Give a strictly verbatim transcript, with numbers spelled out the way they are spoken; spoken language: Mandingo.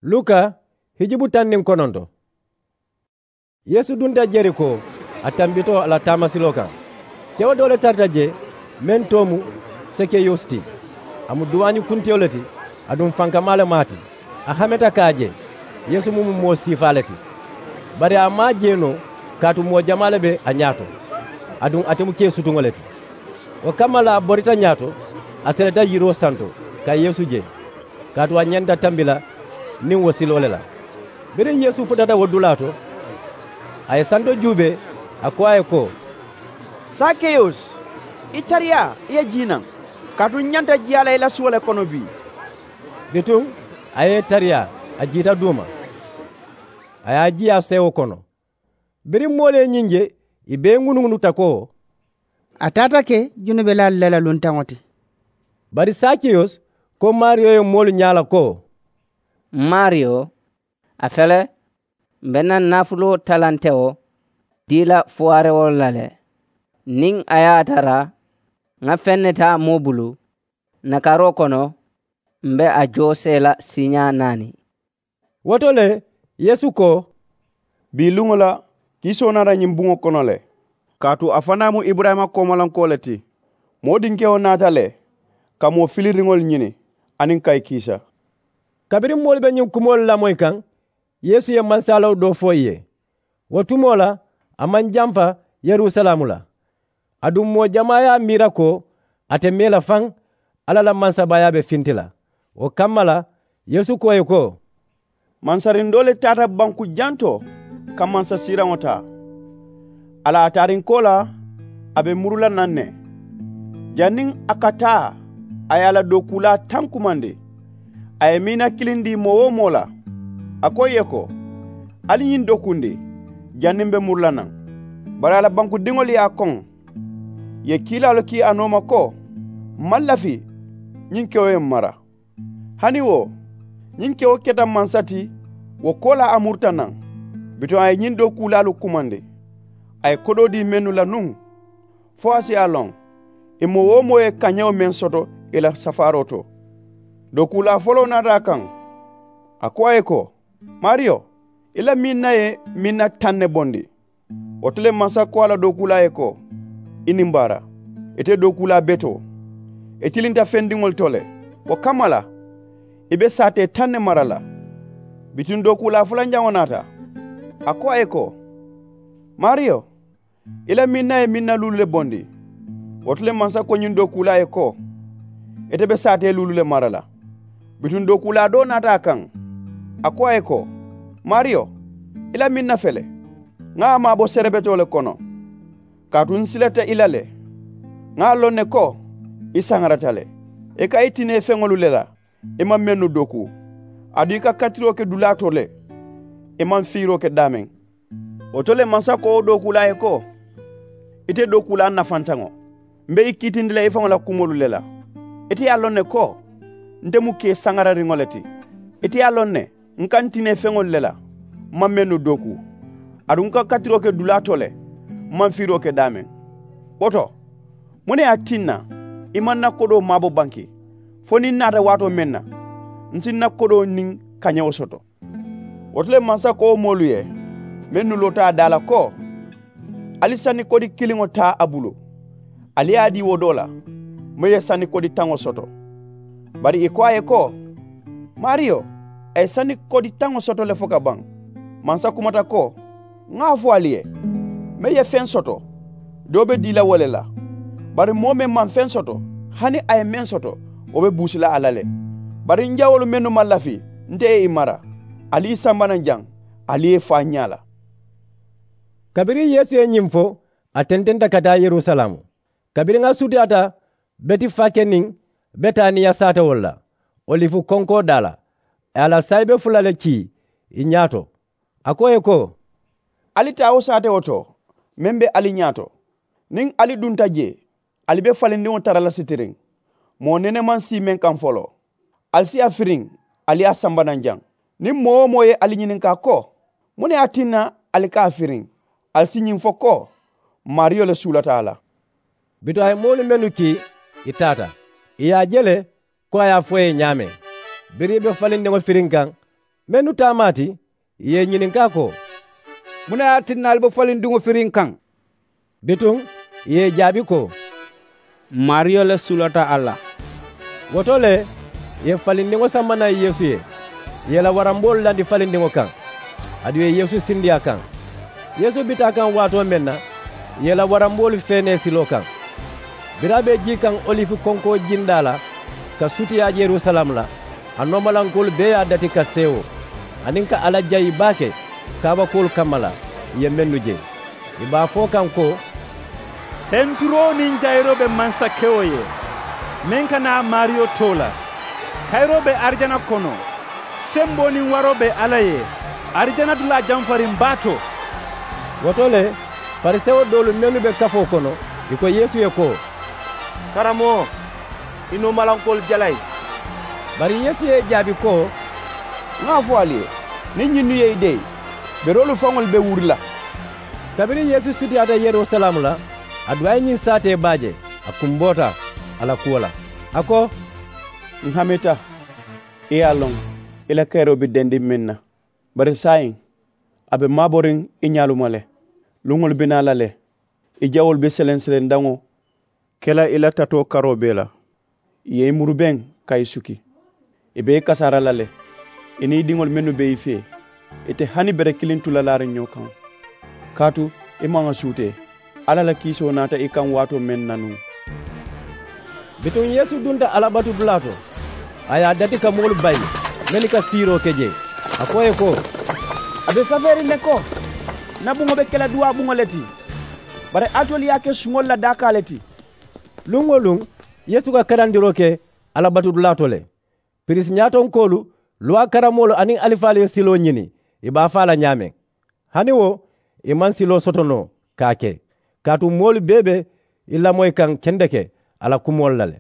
Luka hijubu taŋ niŋ kononto. Yeesu dunta jeriko, a tambita a la taamasiloo kaŋ. Kewo doo le tarata jee, meŋ too mu sekeyusi ti. A mu duwaañi kuntiyo le ti, aduŋ fankamaa le mu a ti. A hameta ka a je yeesu mu mu moo siifaa le ti. Bari a maŋ a je noo, kaatu moo jamaa le be a ñaato, aduŋ ate mu kee sutuŋo le ti. Wo kamma la a borita ñaato, a seleta yiroo santo ka yeesu je, kaatu a ñanta tambi la niŋ wo siloo le la. Biriŋ yeesu futata wo dulaa to, a ye santo juubee, a ko a ye ko, sakeyusi, i tariyaa i ye jii naŋ, kaatu n ñanta jiyaa la i la suwo le kono bii. Bituŋ a ye i tariyaa, a jiita duuma, a ye a jiyaa seewo kono. Biriŋ moolu ye ñiŋ je, i bee ŋunuŋunuta ko, a taata ke junubelaalu le la luntaŋo ti. Bari sakeyusi ko maariyo ye moolu ñaa la ko, m maariyo, a fele, m be na n naafuloo talantewo dii la fuwaarewolu la le. Niŋ a ye a tara ŋa feŋ ne taa moo bulu, n na karoo kono m be a joosee la siiñaa naani. Wo to le, yeesu ko, bii luŋo la, kiisoo naata ñiŋ buŋo kono le. Kaatu a fanaa mu iburayima koomalankoo le ti. Moo dinkewo naata le ka moo filiriŋolu ñini, aniŋ ka i kiisa. Kabiriŋ moolu be ñiŋ kumoolu lamoyi kaŋ, yeesu ye mansalawo doo fo ì ye. Wo tumoo la, a maŋ jamfa yerusalaamu la. Aduŋ moo jamaa ye a miira ko a te mee la faŋ, alla la mansabaayaa be finti la. Wo kamma la, yeesu ko ì ye ko, mansariŋ doo le taata banku jantoo ka mansasiiraŋo taa. A la a taariŋ koolaa, a be muru la naŋ ne. Janniŋ a ka taa, a ye a la dookuulaa taŋ kumandi. A ye miina kiliŋ dii moo wo moo la, a ko ì ye ko, ali ñiŋ dookundi, janniŋ m be muru la naŋ. Bari a la bankudiŋolu ye a koŋ, ì ye kiilaalu kii a nooma ko, m maŋ lafi ñiŋ kewo ye m mara. Hani wo, ñiŋ kewo keta mansa ti, wo koolaa a muruta naŋ. Bituŋ a ye ñiŋ dookuulaalu kumandi, a ye kodoo dii mennu la nuŋ, fo a si a loŋ ì moo wo moo ye kañewo meŋ soto ì la safaaroo to. Dookuulaa foloo naata a kaŋ, a ko a ye ko, maariyo, i la minna ye minna taŋ ne bondi. Wo to le mansa ko a la dookuulaa ye ko, i niŋ baara, ite dookuulaa betoo, i tilinta fendiŋolu to le. Wo kamma la, i be saatee taŋ ne mara la. Bituŋ dookuulaa fulanjaŋo naata, a ko a ye ko, maariyo, i la minna ye minna luulu le bondi. Wo to le mansa ko ñiŋ dookuulaa ye ko, ite be saatee luulu le mara la. Bituŋ dookuulaa doo naata a kaŋ, a ko a ye ko, maariyo, i la minna fele, ŋa a maabo serebetoo le kono. Kaatu n silata i la le, ŋa a loŋ ne ko i saŋarata le. I ka i tinee feŋolu le la, i maŋ mennu doku, aduŋ i ka katiroo ke dulaa to le, i maŋ fiiroo ke daameŋ. Wo to le mansa ko wo dookuulaa ye ko, ite dookuulaa nafantaŋo, m be i kiitindi la i faŋo la kumoolu le la. Ite ye a loŋ ne ko, nte mu kee saŋarariŋo le ti. Ite ye a loŋ ne, n ka n tinee feŋolu le la, m maŋ mennu dooku, aduŋ n ka katiroo ke dulaa to le, m maŋ fiiroo ke daameŋ. Wo to, muŋ ne ye a tinna i maŋ n na kodoo maabo banki, fo niŋ n naata waatoo meŋ na, n si n na kodoo niŋ kañewo soto? Wo to le mansa ko wo moolu ye, mennu loota a daa la ko, ali sanni kodi kiliŋo taa a bulu, ali ye a dii wo doo la, meŋ ye sanni kodi taŋo soto. Bari ì ko a ye ko, maariyo, a ye sanni kodi taŋo soto le fo ka baŋ. Mansa kumata ko, ŋa a fo ali ye, meŋ ye feŋ soto, doo be dii la wo le la. Bari moo meŋ maŋ feŋ soto, hani a ye meŋ soto, wo be buusi la a la le. Bari n jawoolu mennu maŋ lafi, nte ye i mara. Ali i samba naŋ jaŋ, ali ye i faa n ñaa la. Kabiriŋ yeesu ye ñiŋ fo, a tententa ka taa yerusalaamu. Kabiriŋ a sutiyaata betifake niŋ betaniya saatewolu la, olifu konkoo daa la, a ye a la saayibe fula le kii ì ñaato. A ko ì ye ko, ali taa wo saatewo to meŋ be ali ñaato. Niŋ ali dunta jee, ali be falindiŋo tara la sitiriŋ, moo nene maŋ sii meŋ kaŋ foloo. Ali si a firiŋ, ali ye a samba naŋ jaŋ. Niŋ moo-wo-moo ye ali ñininkaa ko, muŋ ne ye a tinna ali ka a firiŋ, ali si ñiŋ fo ko, maariyo le suulata a la. Bituŋ a ye moolu mennu kii, ì taata, ì ye a je le ko a ye a fo ì ye ñaameŋ. Biriŋ ì be falindiŋo firiŋ kaŋ, Mennu taamaa ti, ì ye ì ñininkaa ko, muŋ ne ye a tinna ali be falindiŋo firiŋ kaŋ? Bituŋ ì ye ì jaabi ko, maariyo le sulata a la. Wo to le ì ye falindiŋo samba naŋ yeesu ye, ì ye ì la waramboolu landi falindiŋo kaŋ, aduŋ ì ye yeesu sindi a kaŋ. Yeesu bita a kaŋ waatoo meŋ na, ì ye ì la waramboolu feenee siloo kaŋ. Biriŋ a be jii kaŋ olifi konkoo jindaa la ka sutiyaa yerusalaamu la, a noomalankoolu bee ye a dati ka seewo, aniŋ ka alla jayi baake kaabakoolu kamma la ì ye mennu je. Ì be a fo kaŋ ko, penturoo niŋ jayiroo be mansakewo ye, meŋ ka naa maariyo too la. Kayiroo be arijana kono. Semboo niŋ waroo be alla ye, arijana dulaa jamfariŋ baa to. Wo to le, farisewo doolu mennu be kafoo kono, ì ko yeesu ye ko, karamoo, i noomalankoolu jalayi. Bari yeesu ye ì jaabi ko, ŋa a fo ali ye, niŋ ñinnu ye i deyi, beroolu faŋolu be wuri la. Kabiriŋ yeesu sutiyaata yerusalaamu la, aduŋ a ye ñiŋ saatee baa je, a kumboota a la kuwo la, a ko, ǹ hamita, i ye a loŋ i la kayiroo be dendiŋ meŋ na. Bari saayiŋ a be maaboriŋ i ñaalu ma le. Luŋolu be naa la le, i jawoolu be seleŋ-seleŋ daŋo ke la i la tatoo karoo bee la. Ì ye i murubeŋ ka i suki. Ì be i kasaara la le, i niŋ i diŋolu mennu be i fee. Ì te hani bere kiliŋ tu la laariŋ ñoo kaŋ. Kaatu i maŋ a suutee. Alla la kiisoo naata i kaŋ waatoo meŋ na nuŋ. Bituŋ yeesu dunta alla batudulaa to, a ye a dati ka moolu bayi mennu ka fiiroo ke jee. A ko ì ye ko, a be safeeriŋ ne ko, ǹ na buŋo be ke la duwaa buŋo le ti. Bari alitolu ye a ke suŋolu la daakaa le ti. Luŋ-wo-luŋ yeesu ka karandiroo ke alla batudulaa to le. Piriisi ñaatonkoolu, luwaa karammoolu aniŋ alifaalu ye siloo ñini ì be a faa la ñaameŋ. Hani wo, ì maŋ siloo soto noo ka a ke, kaatu moolu bee be i lamoyi kaŋ kendeke a la kumoolu la le.